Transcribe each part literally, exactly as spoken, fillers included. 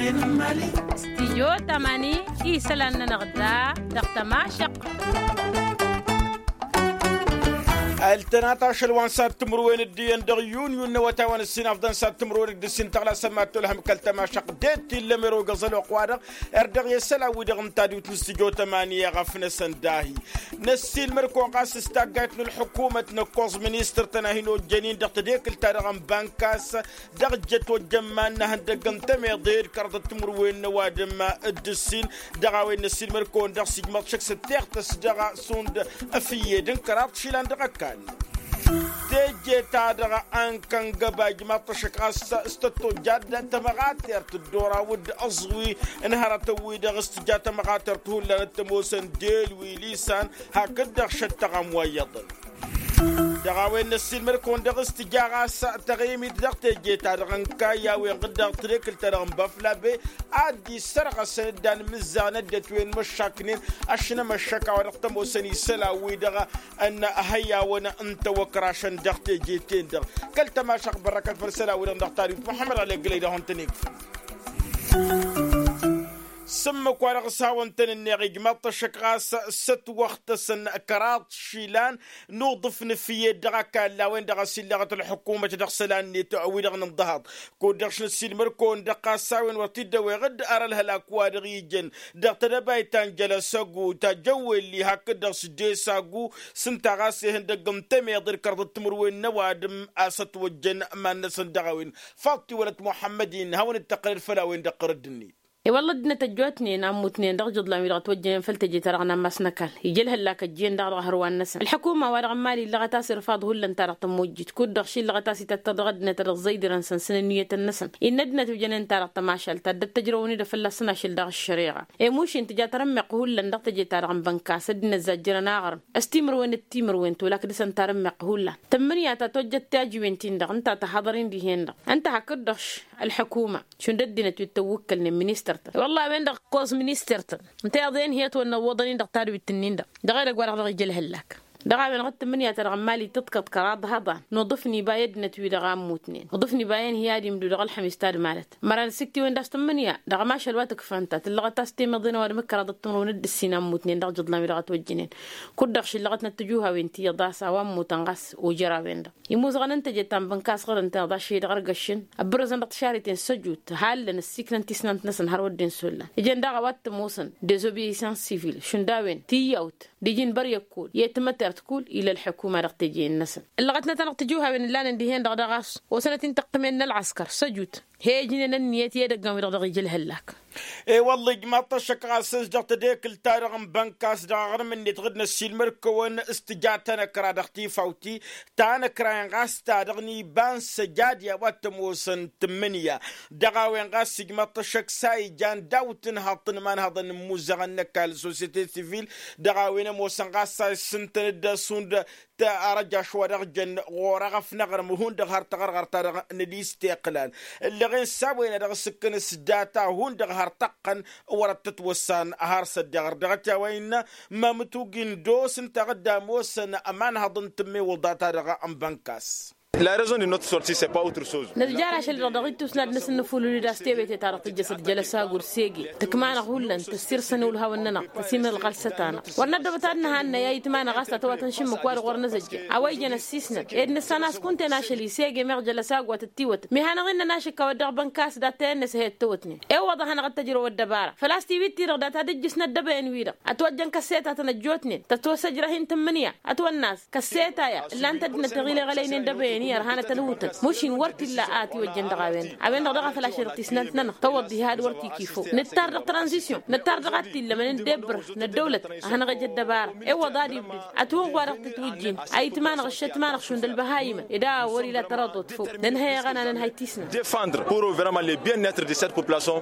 Stijyo tamani isălan-nănăɣ da dăɣ-tămašăq. Ăltănat ašăl wa n-sad timǝrwen d-iyyăn dăɣ-yun yun n-awătay wa n-ǝssin afḍăn sad timǝrwen d-ǝssin tăɣlasăn mad-tolhăm kăl-tămašăq. Ded-t illăm erogăẓ ălwăqq-wa-dăɣ erdăɣ i-isălan-wi-dăɣ n-tadwit n-stijyo tamani i-ăɣăf n-asăndahi. Năssiilmăr-kăwăn ɣas s-taggayt n-ălḥukumăt n-ăkkoẓ ministăr-tăn a hin-ojjăn-in dăɣ-tedekǝlt-ta-dăɣ n-bankas dăɣ-ǝjjăt ojjăn iman n-ehăndăgg n-temeḍe d-kăraḍăt timǝrwen n-ăwadǝm d-ǝssin. Dăɣ-a-wen năssiilmăr-kăwăn-dăɣ s-ijmăḍ šăkk s-ăttixtăs dăɣ-sund ăfǝyyed n-kăraḍ išilan dăɣ-ăkall. Teje-ta-dăɣ a n-kăngăba ijmaḍ-t ăššăk ɣas s-tăt-tojjad tămăɣatert dd-oraw-dd ăẓwi n-hărătăn-wi-dăɣ s-tǝja tămăɣatert hullan t-ămoosăn delwi lisan hakd-dăɣ šăttăɣam wa iyyăḍăn. Dăɣ-a-wen năssiilmăr-kăwăn-dăɣ s-tǝja ɣas taɣimit dăɣ-teje-ta-dăɣ n-kayy a-wen ɣǝddeɣ tedekǝlt-ta-dăɣ n-băflabe ad-dd-issărɣăsăn dd-anmǝzzaɣ n-ăddinăt wi n-măššaknen ăšnămăššăk a-wa dăɣ-tămoosăn isălan-wi-dăɣ n-ihăyawăn n-tawăkrašăn dăɣ-teje-ten-dăɣ. Kăl-tămašăɣ bărrăkăt făll-isălan-wi-dăɣ dăɣ-tadwit muḥămmăd ɣălegg lăy dăɣ-hawăn-tăn-ikfăn. S-ǝmmǝk-wa-dăɣ s-hawăn-tăn-ǝnneɣ ijmaḍ-t ăššăk ɣas s-ătwăɣtăsăn kăraḍ išilan n-uḍǝf n-efǝyyed dăɣ-ăkall a-wen-dăɣ a-s illăɣăt ălḥukumăt dăɣ-isălan-net wi-dăɣ n-inḍăhăḍ. Kud-dăɣ šăn ăssiilmăr-kăwăn-dăɣ ɣas a-wen wăr t-dd-ăweɣ dd-arălhălak wa dăɣ-ijăn dăɣ-tedăbayt ta n-jălăsăgu ta jăwwelli hakd-dăɣ s-desagu s-ǝnta ɣas ihăndăgg n-temeḍe d-kăraḍăt timǝrwen n-ăwadǝm a-s ătwăjjăn iman-năsăn dăɣ-a-wen. Faḍt-i wălăt muḥămmăd-in hawăn-dd-tăqqălăd făll-a-wen-dăɣ ɣărădd-net. I-wălla ăddinăt ăjjootnen a ămmutnen dăɣ-ijuḍlan-wi-dăɣ ătwăjjănen făll-teje-ta-dăɣ n-ammas n-ăkall ija ălhăllak ăjjeen daɣ dăɣ-hărwan-năsăn ălḥukuma-wa-dăɣ n-imali illăɣăt a-s irfaḍ hullan-ta-dăɣ tămmojjit kud-dăɣ ši illăɣăt a-s itattăr dăɣ-ăddinăt a dăɣ-zăydărăn săn s-inǝnniyătăn-năsăn. Innă ăddinăt wi jănen-ta-dăɣ tămašalt ta dd-ăttăjrăwăn-dd fălla-săn ašăl daɣ ăššăreɣa. I-mušin tǝja tarǝmmeɣt hullan dăɣ-teje-ta-dăɣ n-bănkas ăddinăt zajjărăn aɣrǝm s-timǝrwen d-timǝrwen tolak dăɣ-săn tarǝmmeɣt hullan. Tǝmmǝnǝya ta tojjăt tajǝwen-tin-dăɣ ǝnta tăhaḍăr-in dihen-dăɣ ǝnta hakd-dăɣ š-ălḥukuma šund ăddinăt wi t-ăwwǝkkălnen ministăr-tăn. Wălla a-wen-dăɣ ǝkkoẓ ministăr-tăn ǝnta iyyăḍ i-ănhǝyăt wăr năwwăḍăn-in dăɣ-tadwit-ǝnnin-dăɣ dăɣ-edăgg-wa-dăɣ dăɣ-ija ălhăllak. Dăɣ-a-wen ɣǝd tǝmmǝnǝya-ta-dăɣ n-imali tǝḍkăḍ kăraḍ hăḍan n-uḍǝf n-iba i-ăddinăt-wi-dăɣ a ămmutnen uḍǝf n-iba i-ănhǝy ad-imdǝw dăɣ-ălxămis ta d-malăt. Măran s-iktiwen d-a-s tǝmmǝnǝya dăɣ-ămašal wa tǝkfa ǝnta tǝllăɣăt a-s temeḍe n-ăwadǝm d-kăraḍăt timǝrwen d-ǝssin a ămmutnen dăɣ-ijuḍlan-wi-dăɣ ătwăjjǝnen. Kud-dăɣ šillăɣătnăt tijuhawen ti iyyăḍ a-s a-wa ămmutăn ɣas ojăr-a-wen-dăɣ imuzăɣăn n-teje ta n-bănkas ɣur-ǝnta iyyăḍ ašăl-i-dăɣ ărgăššăn. Ăbbărăzăn dăɣ-tišariten s-ăjut hallan ăssiiknăn tisnant-năsăn har wădden s-ollan ǝjăn daɣ a-wa t-ămoosăn dezobeyisăn sivil šund a-wen tiyyawt d-iji n-băryăk kull i-timătert kull ila ălḥukuma dăɣ-teje-năsăn. Ǝllăɣătnăt-anăɣ tijuhawen ǝllanăn dihen-dăɣ daɣ a-s osănăt-in tăqqǝmen n-ălɣăskăr s-ăjut he-ijnen ǝnniyăt i-edăggan-wi-dăɣ dăɣ-ija ălhăllak. E-wălla ijmaḍ-t ăššăk ɣas s-dăɣ tedekǝlt-ta-dăɣ n-bănkas dăɣ-aɣrǝm-net ɣǝd n-ăssiilmăr-kăwăn s-tǝja tanăkra dăɣ-tifawt-i tanăkra-en ɣas ta dăɣ-niba n-săjad i-a-wa t-ămoosăn tǝmmǝnǝya. Dăɣ-a-wen ɣas ijmaḍ-t ăššăk s-a ijan daw-tǝnhăḍt n-imanhăḍăn n-imuzăɣăn n-ăkall societe sivil dăɣ-a-wen ămoosăn ɣas a issǝntăn-dd ăsund. Arăjaš wa dăɣ-jăn ɣur-eɣăf n-aɣrǝm hundăɣ har taɣărɣărt-ta-dăɣ n-ălisteqlal ǝllăɣen s-a-wen a dăɣ-sǝkkăn s-data hundăɣ har tăqqăn wăr-ăttătwăssan har s-ăddiɣăr dăɣ-t i-a-wa innă. Mamǝtug indos ǝnta a dd-ămoosăn ămanhăḍ n-tǝmmewǝḍa-ta-dăɣ n-bănkas. La rezon de notre sorti s-e pa autre soz. Năzjar ašăl-dăɣ dăɣ-ittus n-ad-năsǝnnǝfulǝl-dd a-s tewete-ta-dăɣ tǝjjăsăt jălăsag wăr sege tǝkma-năɣ hullan tăssirsa n-iwǝlhawăn-nănăɣ tăsimăl ɣălsăt-anăɣ. Wăr năddăbăt ad-nǝhannăy ayǝtma-năɣ a-s ta tăwatăn šǝmmǝk wa-dăɣ wăr năzăjja a-wa ijăn ăssisnăt ed nǝssan a-s kunta-en ašăl isege meɣ jălăsag wa tăt-tiwătăn mihanăɣ-in-nănašǝk a-wa dd-dăɣ-bănkas dat-tăyăn-năs a he-ăttăwătnen. Ewăḍ a hanăɣ-dd-tăjrăw ăddăbara făl-a-s tiwit-ti-dăɣ data d-ǝjjǝsnăt dăbăyăn-wi-dăɣ ătwăjjăn kăssetătăn ăjjootnen tătwăsăjrăh-in tǝmmǝnǝya ătwănna a-s kăssetăya ǝllan-tăt d-inătăɣ ileɣălăynen dăbăyăn-i ărhanăt ălwǝtăn. Mušin wăr t-illa a ătiwăjjăn dăɣ-a-wen-dăɣ a-wen-dăɣ dăɣ-a făl ašăl-dăɣ tisnant-nănăɣ tăwăḍ diha ad-wăr t-ikifăw nǝttar dăɣ-tranzisyon nǝttar dăɣ-ad-t-illămăn n-debbǝr n-ăddăwlăt a hanăɣ-ej ăddăbara. Ewăḍ ad-ibdǝd ătwănɣ wa dăɣ-tǝtwǝjjin ayǝtma-năɣ ǝššătma-năɣ šund ălbăhayimăn ed a wăr-ila tărăḍot făw. Nǝnhăy aɣăna nǝnhăy tisnant. Defandre pour vraiment le bien-être de cette population.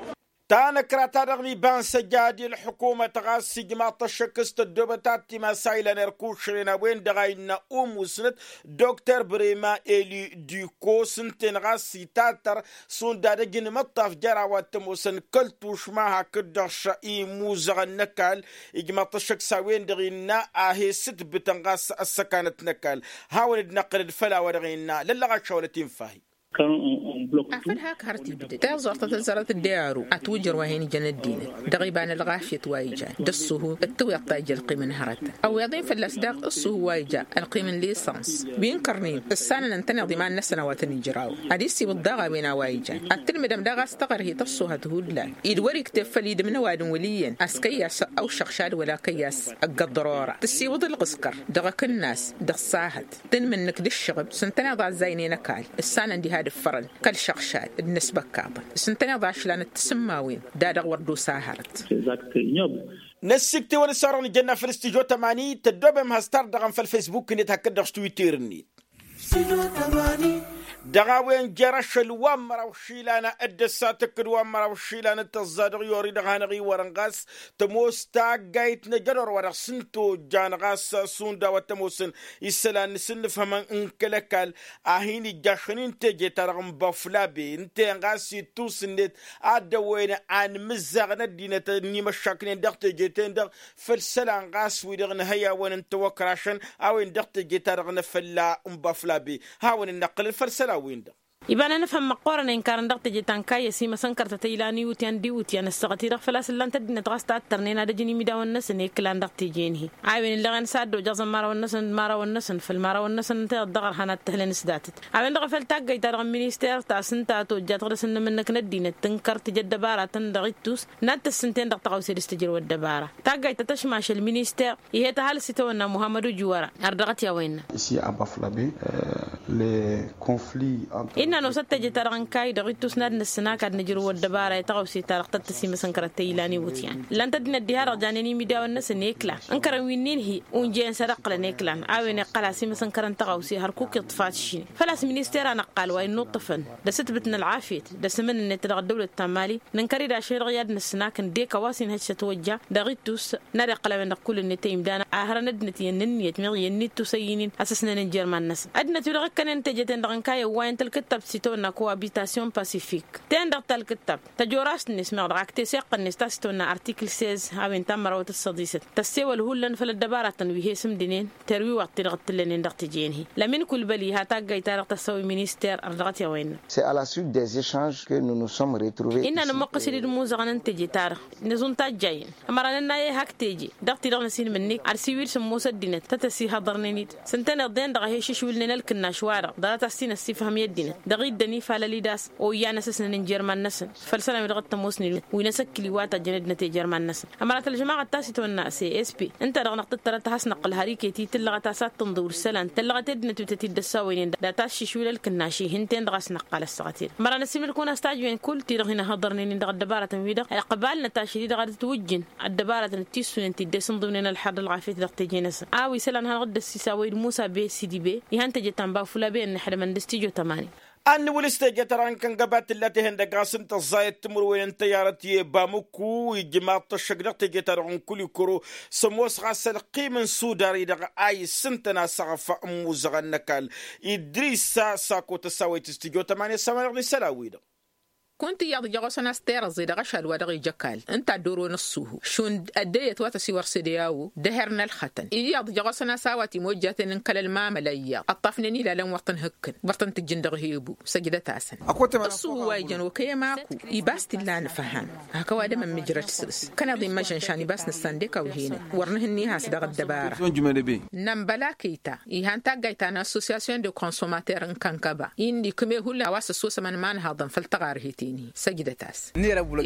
Tanăkra-ta-dăɣ n-iba n-săjad i-ălḥukumăt ɣas ijmaḍ-t ăššăk s-tăddoobăt ad-timas a ilan erkušren a-wen-dăɣ a innă umusnăt dokter brema eli diko s-ǝnta-en ɣas itattăr šund ad-ăj n-imǝṭṭaf jer-a-wa t-ămoosăn kăl-tušma hakd-dăɣ š-imuzăɣăn n-ăkall. Ijmaḍ-t ăššăk s-a-wen-dăɣ innă a he-sǝtbǝtăn ɣas ăssăkanăt n-ăkall. Hawăn-dd-năqqǝlăd făll-a-wa dăɣ-innă lăllăɣ ašăwălăt infahi. Afăl hak hărăt ibdăd tiẓẓurt tăzzărăt d-earu atwǝjăr wa hin-ijăn ăddinăt dăɣ-iba n-ălɣafyăt wa ijan d-ăṣṣuhu d-tǝwweḍ ta ija ălqim n-hărătăn. Ăwweḍ-in fălla-s daɣ ăṣṣuhu wa ija ălqim n-lisăns wi n-kărnin ǝssanăn ǝntăneḍ iman-năsăn a-wa tăn-ijrawăn ad-issiwǝḍ daɣ a-wen a-wa ijan ad-tǝlmǝdăm daɣ a-s taɣărhit ăṣṣuhăt hullan-i d-wăr-ikteb făll-idǝm n-ăwadǝm wăl' iyyăn a-s kăyy-as ăwšăɣšad wăla kăyy-as ăgg-ăḍḍărora tǝssiwǝḍ ǝlɣǝskăr dăɣ-akǝnnas dăɣ-sahăt tǝnmǝnnǝk d-ǝššăɣǝb s-ǝntăneḍ a ăzzaynen ăkall ǝssanăn diha d-ǝffărăn kăl-šăɣšad d-inǝsbăkkaḍăn s-ǝntăneḍ ašlan d-tisǝmmawen da dăɣ-wăr dd-osa hărăt. Năssiktewăn s-orăɣ nǝjănna făll-stijo tămani tăddoobem has-tardăɣăm făll-fesbuk-net hakd-dăɣ s-twitter-net. Dăɣ-a-wen jer-ašăl wa n-măraw išilan d-ăssatăkk d-wa n-măraw išilan d-tăẓẓa dăɣ-i-ori dăɣ-hanăɣ-iwărăn ɣas tămoos taggayt n-ajădor wa dăɣ-s n-tojjan ɣas šund a-wa t-ămoosăn isălan n-asǝnnǝfhămăn n-kăl-ăkall a hin-ijjašăn-in teje-ta-dăɣ n-băflabe ǝnta-en ɣas ittus-net ad-dd-ăwwăyăn anmǝzzaɣ n-ăddinăt n-imăššaknen dăɣ-teje-ten-dăɣ făll-isălan ɣas wi-dăɣ n-ihăyawăn n-tawăkrašăn a-wen dăɣ-teje-ta-dăɣ n-afălla n-băflabe. Hawăn-dd-năqqǝlăn făll-isălan-win-dăɣ. Iba n-anǝfhăm măqqoorăn a inkărăn dăɣ-teje ta n-kayy ăsimăsăn kărtăt ăylan iwǝtyan d-iwǝtyan ăssaɣăt-i-dăɣ făl-a-s ǝllan-t ăddinăt ɣas tattărnen ad-ăjǝn imidawăn-năsăn i-iklan dăɣ-teje-năhi. A-wen ǝlleɣen s-ad-dd-ojăẓăn imărawăn-năsăn d-imărawăn-năsăn făll-imărawăn-năsăn ǝnta-i dd-dăɣ-ărhan ad-t-ǝhlăn s-datăt a-wen-dăɣ a făl taggayt-ta-dăɣ n-minister ta s-ǝnta tojjat ɣur-dăɣ s-ǝnnǝm-năk n-ăddinăt tǝnkăr tǝjăt dăbara-tăn dăɣ-ittus n-ad-tăssǝnte-n-dăɣ tăɣawse dăr-s tǝjrăw ăddăbara. Taggayt ta tăšmašăl minister ih'-e tăhalǝs itawănna muhammăd ujwăra ar dăɣ-t i-a-wa innă. Isi a băflabe le confli. Innă nosăt teje-ta-dăɣ n-kayy dăɣ-ittus n-ad-năssǝnak ad-nǝjrǝw ăddăbara i-tăɣawse-ta-dăɣ tăt-tăsimăsăn kărăt tăylan iwǝtyan ǝllan-t ăddinăt diha-dăɣ janen imidawăn-năsăn i-iklan ǝnkărăn wi n-inhi unjăyăn s-ad-ăqqǝlăn i-iklan. A-wen iqqăl asimasăn kărăn tăɣawse hărkuk iḍfat šine făl-a-s minister a năqqal wa innuṭṭăfăn d-asǝtbǝt n-ălɣafyăt d-asǝmǝn-net dăɣ-ăddăwlăt ta n-mali. Nǝnkăr-dd ašăl-i-dăɣ i-ad-năssǝnakăn d-eka wa s-inhăj s-ătwăjja dăɣ-ittus n-ad-iqqăl a-wen-dăɣ kull-net i-imdan a hărăn ăddinăt iyyăn n-ǝnniyăt meɣ iyyăn n-ittus ăyyǝynin a-s ăsnănăn jer-iman-năsăn. Ăddinăt-wi-dăɣ ǝkkănen teje-ten-dăɣ n-kayy ăwwayăn tălkǝttab s-itawănna cohabitation pacific-ten-dăɣ talkǝttab tăjorăst-net meɣ dăɣ-ak-t-e-s iqqăn-net ta s-itawănna artikǝl sez a-wen ta n-mărawăt d-săḍisăt tăssewăl hullan făll-ăddăbaratăn wi he-sǝmdǝnen terwiwăḍ-t-dăɣ t-tǝllănen dăɣ-teje-năhi. Lămin kulbăl iha taggayt-ta-dăɣ tăssăwăy minister ărdăɣăt i-a-wa innă. Innă nămmuqqǝs-dd imuzăɣăn n-teje-ta-dăɣ năzun tajjayăn ămăra nănna i-hak teje dăɣ-ti-dăɣ năsinmǝnnik ad-siwǝy d-sǝmmos ăddinăt tăt-ăsihăḍărnen-dd s-ǝntăneḍ-en-dăɣ a he-išǝšwǝlnen ălkǝnnaš-wa-dăɣ ḍarăt a-s t-in-ăssifhăm i-ăddinăt dăɣ-iddăn ifalăl-i d-a-s oyyăn a-s ăsnănăn jer-iman-năsăn. Făll-isălan-wi-dăɣ t-ămoosnen wi n-asǝkkǝl iwatăjjăn ăddinăt i-jer-iman-năsăn ămăra tălžămaɣăt ta s-itwănna s a s p ǝnta-dăɣ năɣ tǝttărăt ad-has-năqqǝl har iket-i tǝllăɣăt a-s ad-tǝnḍǝwǝl isălan tăllăɣăt i-ăddinăt wi tăt-dd-ăssawăynen dat-aššǝšwǝl ălkǝnnaš ihǝnten dăɣ-a-s năqqal ăssaɣăt-i-dăɣ ămăra năssiilmǝd-kăwăn a-s tajǝwen kull-ti-dăɣ hin-ăhhăḍărnen-in dăɣ-ăddăbarătăn-wi-dăɣ iqbal-năt ašăl-i-dăɣ ad-ătwǝjjǝn ăddăbarătăn d-tissunen ti dd-e-sǝnḍǝwnen ălḥăr d-ălɣafyăt dăɣ-teje-năsăn a-wa isălan hanăɣ-dd-ăssisawăy d-musa be sidi be. Ihăn teje ta n-bafula be ănnăḥdămăn d-stijo tămani. Ad-nǝwǝl s-teje-ta-dăɣ n-kăngăba tǝlla tehăndăg ɣas n-tăẓẓayăt timǝrwen n-tăyyarăt i-bamuku ijmaḍ-t ăššăk dăɣ-teje-ta-dăɣ n-kulikoro s-ămoos ɣas ălqim n-sudar-i-dăɣ a isǝntăn asăɣăf n-imuzăɣăn n-ăkall. Idris sako tăsawăyt s-tijo tămani ăssaman-dăɣ n-isălan-wi-dăɣ. Kunta iyyăḍ ija ɣur-săn a-s terăẓẓe dăɣ-ašal wa dăɣ-ija ăkall ǝnta a dd-oron ăṣṣuhu šund ăddeyăt wa tăsiwăr s-ede a-wo d-eher n-ălxătăn iyyăḍ ija ɣur-săn a-s a-wa timojjaten n-kăl-ălmamăla iyyăḍ ăṭṭafnen ilalăn wăr tăn-hǝkkǝn wăr tăn-tǝjjǝn dăɣ-hebu. Săjdăt-asăn ăṣṣuhu wa ijăn okăyăm aku ibas t-illa anǝfham hak ăwadǝm ămmijrăd săr-s kăneḍ-in măžănšan ibas nǝssan d-ekaw henăt wăr nǝhǝnni has-dăɣ ăddăbara. Nămbăla kăyta ihan taggayt ta n-associasyon de konsomater n-kănkăba-i n-ikǝme hullan a-wa s-ăssosămăn imanhaḍăn făll-taɣarheten-i săjdăt-as.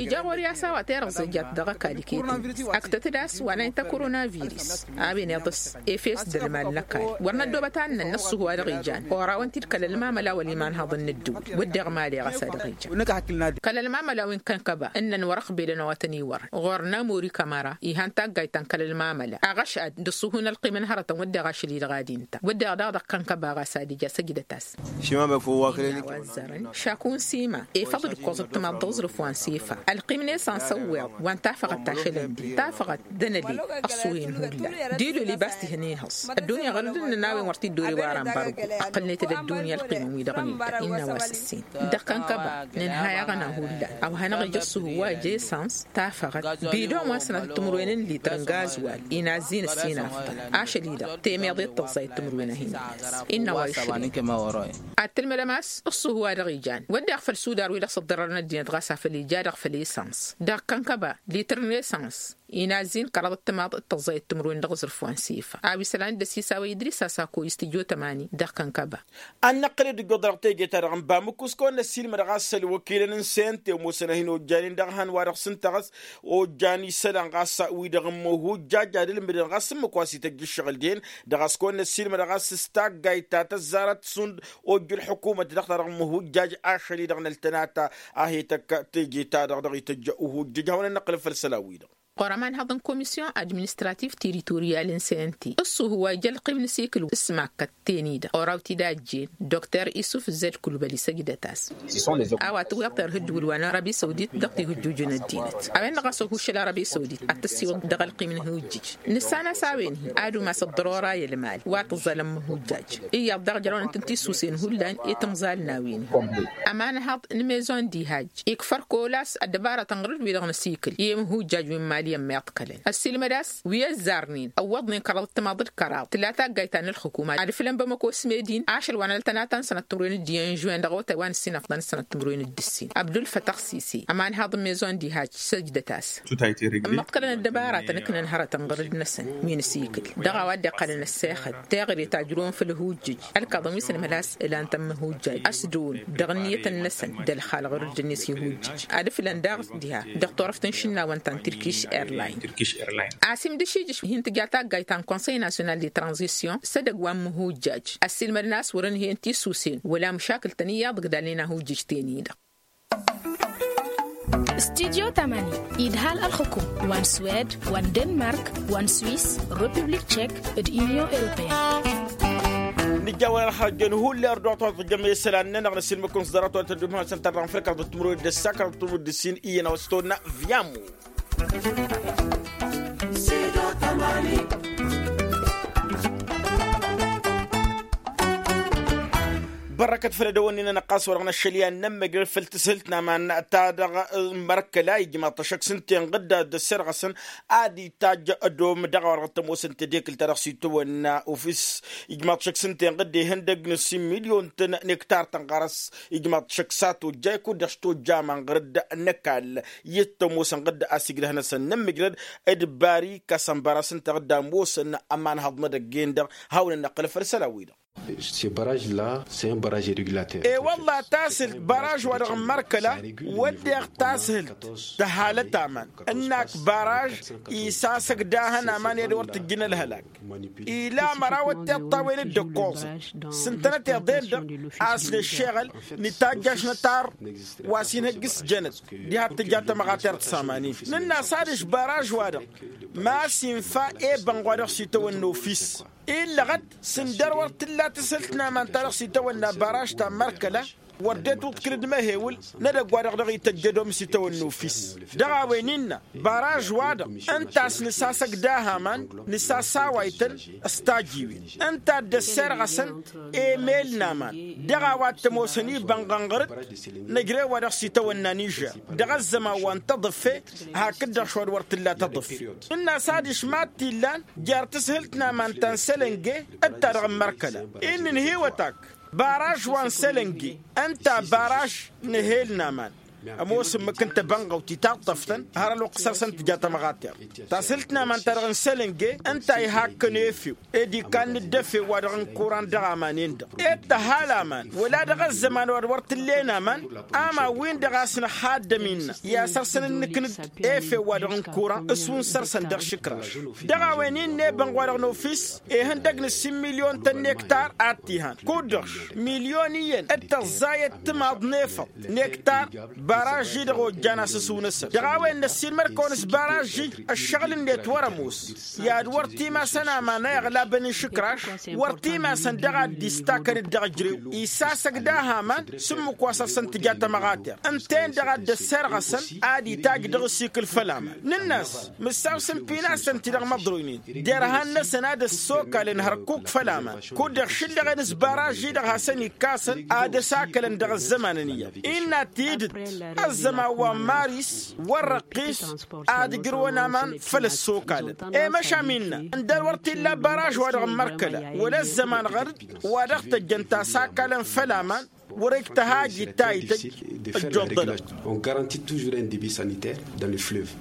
Ija ɣur-i a-s a-wa terăẓẓe jat dăɣ-ăkall iket-net ăktăt-dd a-s wa n-a inta koronavirus a-wen iḍǝs efes d-ălmal n-ăkall wăr năddoobăt a ǝnnăn n-ăṣṣuhu wa dăɣ-ijan orawăn-t-dd kăl-ălmamăla wăl-iman haḍăn n-ăddǝwǝl wădden ɣǝmale ɣas a dăɣ-ijan kăl-ălmamăla wi n-kănkăba ǝnnăn wăr-ăqbelăn a-wa tăn-iwărăn ɣur-nămori kămăra ihan taggayt ta n-kăl-ălmamăla aɣăšad d-ăṣṣuhu n-ălqim n-hărătăn wădden ašăl-i-dăɣ ad-inta wădden daɣ dăɣ-kănkăba ɣas ad-ija săjdăt-as. Šakun sima efăḍ-dd. Ăẓ ǝttǝmaḍ dăɣ-zrǝf wa n-sifa ălqim n-esans ăwweḍ wa n-tafăɣăt tašălăn-di tafăɣăt d-anăli. Ăṣṣuhin hullan d-ilul ibas tihăn ihăẓ ăddunya ɣărăd ǝnnăn a-wen wăr t-dd-ori wa rambargu. Ăqqălnet-dd ăddunya ălqimăn-wi-dăɣ n-illa innă a-wa s-ǝssin. Dăɣ-kănkăba nǝnhăy aɣăna hullan a-wa hanăɣ-ija ăṣṣuhu wa ija esans tafăɣăt bidon wa n-sănatăt timǝrwen n-lităr n-gazwal inazzin ǝssin aftăn ašăl-i-dăɣ temeḍe d-tăẓẓayăt timǝrwen a hin-inas. Innă a-wa išrǝy ad-tǝlmădăm a-s ǝṣṣuhu wa dăɣ-ijan wădden făll-sudar wi-dăɣ s-ǝḍḍărrăn ăddinăt ɣas afăl ija-dăɣ făll-esans. Dăɣ-kănkăba lităr n-esans inazzin kăraḍăt timaḍ d-tăẓẓayăt timǝrwen dăɣ-aẓrǝf wa n-sifa a-wi isălan d-ăsisawăy idris a-s ako istijjo tămani dăɣ-kănkăba. Ad-năqqǝlăd ǝjjuḍ dăɣ-teje-ta-dăɣ n-bamǝkkus kăwăn-năssiilmăd ɣas ălwăkilăn n-sente ămoosăn a hin-ojjanen dăɣ-ehăn wa dăɣ-s ǝnta ɣas ojjan isălan ɣas wi-dăɣ n-imǝhujjaj ad-ǝlmǝdăn ɣas ǝmmǝk wa s-ităjj ǝššăɣǝl-den. Dăɣ-a-s kăwăn-năssiilmăd ɣas s-taggayt ta tăzzarăt šund ojjǝl ălḥukumăt dăɣ-ta-dăɣ n-imǝhujjaj ašăl-i-dăɣ n-ăltănat a he-tăkk teje-ta-dăɣ dăɣ-ităjj uhujjǝj hawăn-ănnăqqǝlăn făll-isălan-wi-dăɣ. Ɣur-ămanhăḍ n-komisyon administrativ tiritoryal n-sente ǝṣṣuhu wa ija ălqim n-asikǝl s-makkăt ten-i-dăɣ oraw-t-dd a ăjjeen dr isuf zed kulbăli săjdăt-as. A-wa tǝwweḍ terhǝjjǝwǝl wa n-arabi săwdit dăɣ-tihǝjjujăn ăddinăt a-wen-dăɣ a-s ohuššăl arabi săwdit ad-tăssiwǝḍ dăɣ-ălqim n-ihujjǝj. Nǝssan a-s a-wen-hi ad-umas ăḍḍărora i-ălmal wa tǝẓẓal ămmǝhujjaj. Iyyăḍ daɣ jărăwnăn-tăn tisusen hullan i-timẓal n-a-wen-hi. Ămanhăḍ n-mezon d-ihajj ikfăr kăwăl-as ăddăbarătăn ɣǝr-dd wi-dăɣ n-asikǝl i-imǝhujjaj wi n-imali ămmiḍkălăn ăssiilmăd a-s wi ăzzarnen ăwwăḍnen kăraḍăt timaḍ d-kăraḍ tǝla taggayt ta n-ǝlxǝkum ad-ǝflăn bamăko s-medin ašăl wa n-ăltănata n-sănăt timǝrwen d-iyyăn žwen dăɣ-otay wa n-ǝssin afḍăn d-sănăt timǝrwen d-ǝssin abdulfătăɣ sisi ămanhăḍ n-mezon d-ihajj săjdăt-as. Ămmăḍkălăn ăddăbarătăn ǝknăn hărătăn ɣǝr-dd-năsăn wi n-asikǝl dăɣ-a-wa dd-iqqălăn ăssexăt teɣăre ta ǝjrǝwăn făll-ihujjǝj ălkaḍăn wi s-ănmăl a-s ǝlan-t ămmǝhujjaj ăsdǝwǝn dăɣ-ǝnniyăt-năsăn d-ălxalăɣ ɣǝr-dd-net ihujjǝj ad-ǝflăn daɣ diha dăɣ-turăft n-išǝnnawăn ta n-tirkiš airline. A-s imdǝšijǝš hin-tǝja taggayt ta n-konsăy nasyonal de tranzisyon s-edăgg wa n-imǝhujjaj ăssiilmădăn a-s wăr-ǝnhǝyăn tisusen wăla măšakǝl-tăn iyyăḍ ǝgdalnen ahujjǝj ten-i-dăɣ. Studyo tamani idhal ălxukum wa n-swed wa n-denmark wa n-swis, republik tšek d-unyon europeyăn. Nǝjjawăn ălxarjăn hulli ărduɣ-t wa tǝjjăm i-isălan-nănăɣ năsilmăkun s-ḍarăt wa tăddum hasăn-tărra n-afrika ḍǝttǝmrăwed d-ăssakra ḍǝttǝmrăwed d-ǝssin iyyăn a-wa s-tonna viyamu. Bărrăkăt făll-edăwănni-nănăɣ ɣas wăr-dăɣ năššăl i-ad-nămmăjrăd făll-tǝshǝlt n-aman ta dăɣ-mărkăla ijmaḍ-t ăššăk s-ǝnta inɣǝdda d-ăssirɣăsăn ad-itajj ădom dăɣ-a-wa dăɣ-tămoosăn tedekǝlt ta dăɣ-s itawănna ufis. Ijmaḍ-t šăkk s-ǝnta inɣǝdda ihăndăg n-ǝssin milyon-tăn nektar-tăn ɣarăs. Ijmaḍ-t šăkk s-ad-tojja i-kud-dăɣ s-tojja aman ɣăr-dd n-ăkall. I-dd-tămoosăn ɣǝdda a-s igrăh-năsăn nǝmmǝjrăd d-bari kasăn băra s-ǝnta ɣǝdda ămoosăn ămanhăḍ n-edăgg-en-dăɣ. Hawăn-ănnăqqǝl făll-isălan-wi-dăɣ. E-wălla tasǝlt baraj-wa-dăɣ n-mărkăla wădden tasǝlt tăhalăt aman ǝnnak baraj isasăg dahăn aman i-ad-wăr tǝjjǝn ălhălak. Ila măraw ăttiḍt a-wen dd-ǝkkoẓăn s-ǝntănăteḍ-en-dăɣ a-s nǝššeɣăl nǝtajj ašnătar wa s-inhăjj s-jănăt. Diha t-tǝja tămɣatert s-aman-in nǝnn'-as adiš baraj-wa-dăɣ ma s-infa ebănɣ wa dăɣ-s itawănna ofis. Illăɣăt s-ǝndăr wăr t-tǝlla tǝshǝlt n-aman ta dăɣ-s itawănna baraj ta n-mărkăla. Wăr dd-e-tuḍkǝlăd măhewǝl n-edăgg-wa-dăɣ dăɣ-ităjjăd omǝs itawănna ofis. Dăɣ-a-wen innă baraj-wa-dăɣ ǝnta a-s nǝsasăg daha aman nǝsasaway-tăn s-tajiwen ǝnta a dd-ăsserɣăsăn emel n-aman. Dăɣ-a-wa t-ămoosăn ibănɣăn ɣăr-dd năjrew wa dăɣ-s itawănna nižer dăɣ-ăzzăman wa n-tăḍǝfe. Hakd-dăɣ šund wăr t-tǝlla tăḍǝfe. Nǝnn'-as adiš mad-t-illan jer-tǝshǝlt n-aman ta n-sălănge d-ta-dăɣ n-mărkăla innă ǝnhǝywăt-ak. Baraj wa n-sălănge ǝnta baraj n-ehel n-aman. Ămoos ǝmmǝk n-tebănɣăwt itaṭṭăf-tăn har ălwăqq săr-săn tǝja tămɣatert. Tashǝlt n-aman-ta-dăɣ n-sălănge ǝnta a ihakkăn efew ed ikanna dd-efew-wa-dăɣ n-kuran dăɣ-aman-en-dăɣ ed tăhal aman wăla dăɣ-ăzzăman wa d-wăr t-ǝllen aman. Aman-win-dăɣ a-s nǝxaddăm innă i-ad-săr-săn ǝnnǝknǝd efew-wa-dăɣ n-kuran s-win săr-săn dăɣ-išǝkraš. Dăɣ-a-wen innă ebănɣ wa dăɣ-nofis ihăndăg n-ǝssin milyon-tăn nektar ad-t-ihan kud-dăɣ milyon iyyăn d-tăẓẓayăt timaḍ n-efăḍ nektar. Baražži-dăɣ ojjan asǝsǝw-năsăn dăɣ-a-wen n-ăssiilmăr-kăwăn s-baražži. Ăššăɣǝl-net wăr-ămoos i-ad-wăr timasăn aman a iɣlabăn išǝkraš. Wăr timasăn dăɣ-ad-dd-istakăn-dd dăɣ-ǝjrew isasăg dahaman s-ǝmmǝk wa săr-săn tǝja tămăɣater. Ǝnta-en-dăɣ a dd-ăssirɣăsăn ad-itaj dăɣ-ǝsikǝl făll-aman nǝnn'-as mǝssaw s-ǝmpinasăn-ti-dăɣ măḍroynen derhan-năsăn ad-ăssokalăn hărkuk făll-aman. Kud-dăɣ šǝllăɣen s-baražži-dăɣ hasăn-ikkasăn ad-ăsakălăn dăɣ-ăzzămanăn iyyăḍ innă tidǝt ăzzăman wa n-maris wăr răqqis ad-ǝjrǝwăn aman făll-ăssokalăn. I-măšan innă ǝndăr wăr t-illa baraž wa dăɣ-n mărkăla wăla ăzzăman ɣăr-dd wa dăɣ-tăjjăn tasakalăn făll-aman. Wăr-ăj tăhajit ta ităjj ăjjoḍălăɣ. On garanti toujours un debit sanitaire dans le fleuve.